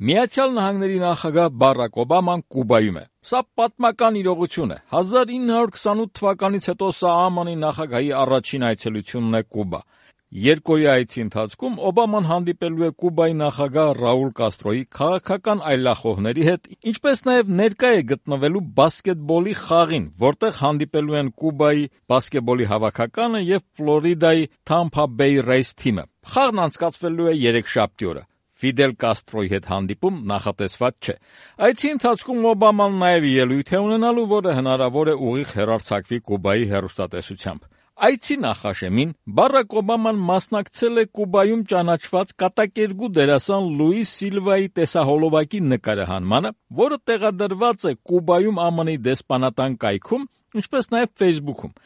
Միացյալ Նահանգների նախագահ Բարակ Օբաման Կուբայում է։ Սա պատմական իրողություն է։ 1928 թվականից հետո սա ԱՄՆ-ի նախագահի առաջին այցելությունն է Կուբա։ Երկօրյա այցի ընթացքում Օբաման հանդիպելու է Կուբայի նախագահ Ռաուլ Կաստրոյի քաղաքական այլախոհների հետ, ինչպես նաև ներկա է գտնվելու բասկետբոլի խաղին, որտեղ հանդիպելու են Կուբայի բասկետբոլի հավաքականը եւ Ֆլորիդայի Tampa Bay Rays թիմը։ Խաղն անցկացվելու է երեքշաբթի օրը։ Ֆիդել Կաստրոյի հետ հանդիպում նախատեսված չէ։ Այցի ընթացքում Օբաման նաև ելույթ է ունենալու, որը հնարավոր է ուղիղ հեռարձակվի Կուբայի հեռուստատեսությամբ։ Այցի նախաշեմին Բարակ Օբաման մասնակցել է Կուբայում ճանաչված կատակերգու դերասան Լուիս Սիլվայի տեսահոլովակի նկարահանմանը, որը տեղադրված է Կուբայում ԱՄՆ-ի դեսպանատան կայքում, ինչպես նաև Facebook-ում։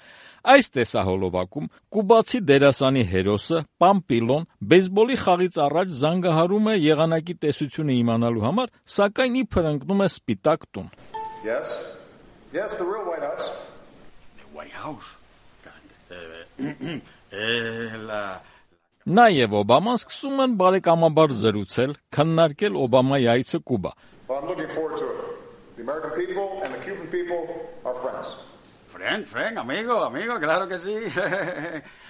Այս տեսահոլովակում կուբացի դերասանի հերոսը Պամպիլոն բեյսբոլի խաղից առաջ զանգահարում է եղանակի տեսությունը իմանալու համար, սակայն իբր ընկնում է սպիտակ տուն։ Yes, the real White House. The White House. Նա եւ Օբաման սկսում են բարեկամաբար զրուցել, քննարկել Օբամայի այցը Կուբա։ Well, I'm looking forward to it. The American people and the Cuban people are friends. Friend, amigo, claro que sí.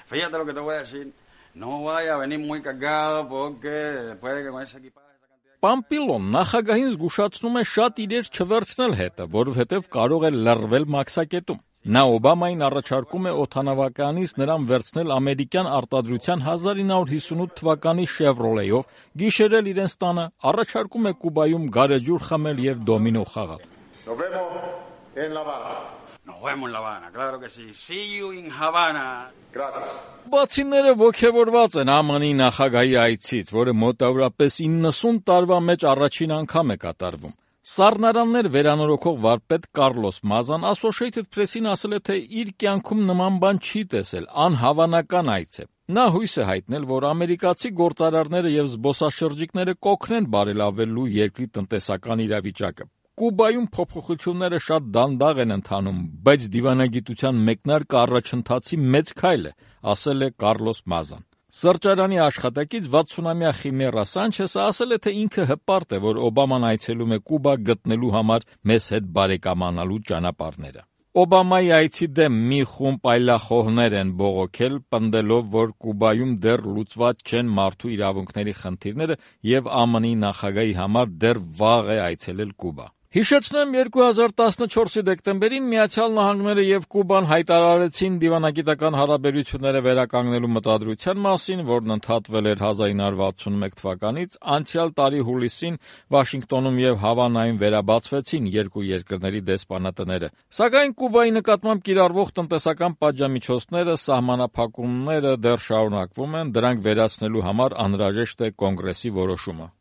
Fíjate lo que te voy a decir. No vaya a venir muy cargado porque después de que con ese equipaje esa cantidad... Պամպիլոն նախագահին զգուշացնում է շատ իրեր չվերցնել հետը, որովհետև կարող է լռվել մաքսակետում։ Նա Օբամային առաջարկում է օդանավականից նրան վերցնել ամերիկյան արտադրության 1958 թվականի Chevrolet-ով, գիշերել իրենց տանը, առաջարկում է Կուբայում գարեջուր խմել եւ դոմինո խաղալ։ Nos vemos en La Habana. Nos vemos en La Habana, claro que sí. See you in Havana. Gracias. Բացիները ոգևորված են ԱՄՆ-ի նախագահի այցից, որը մոտավորապես 90 տարվա մեջ առաջին անգամ է կատարվում։ Սառնարաններ վերանորոգող վարպետ Կարլոս Մազան Associated Press-ին ասել է, թե իր կյանքում նման բան չի տեսել, անհավանական այց է։ Նա հույս է հայտնել, որ ամերիկացի գործարարները եւ զբոսաշրջիկները կօգնեն բարելավելու երկրի տնտեսական իրավիճակը։ Կուբայում փոփոխությունները շատ դանդաղ են ընթանում, բայց դիվանագիտության մեկնարկը առաջընթացի մեծ քայլ է, ասել է Կարլոս Մազան։ Սրճարանի աշխատակից 60-ամյա Խիմերա Սանչեսը ասել է, թե ինքը հպարտ է, որ Օբաման այցելում է Կուբա գտնելու համար մեզ հետ բարեկամանալու ճանապարհները։ Օբամայի այցի դեմ մի խումբ այլախոհներ են բողոքել, պնդելով, որ Կուբայում դեռ լուծված չեն մարդու իրավունքների խնդիրները եւ ԱՄՆ-ի նախագահի համար դեռ վաղ է այցելել Կուբա։ Հիշեցնեմ, 2014-ի դեկտեմբերին Միացյալ Նահանգները եւ Կուբան հայտարարեցին դիվանագիտական հարաբերությունները վերականգնելու մտադրության մասին, որն ընդհատվել էր 1961 թվականից, անցյալ տարի հուլիսին Վաշինգտոնում եւ Հավանայում վերաբացվեցին երկու երկրների դեսպանատները։ Սակայն Կուբայի նկատմամբ կիրառվող տնտեսական պատժամիջոցները, սահմանափակումները դեռ շարունակվում են, դրանք վերացնելու համար անհրաժեշտ է կոնգրեսի որոշումը։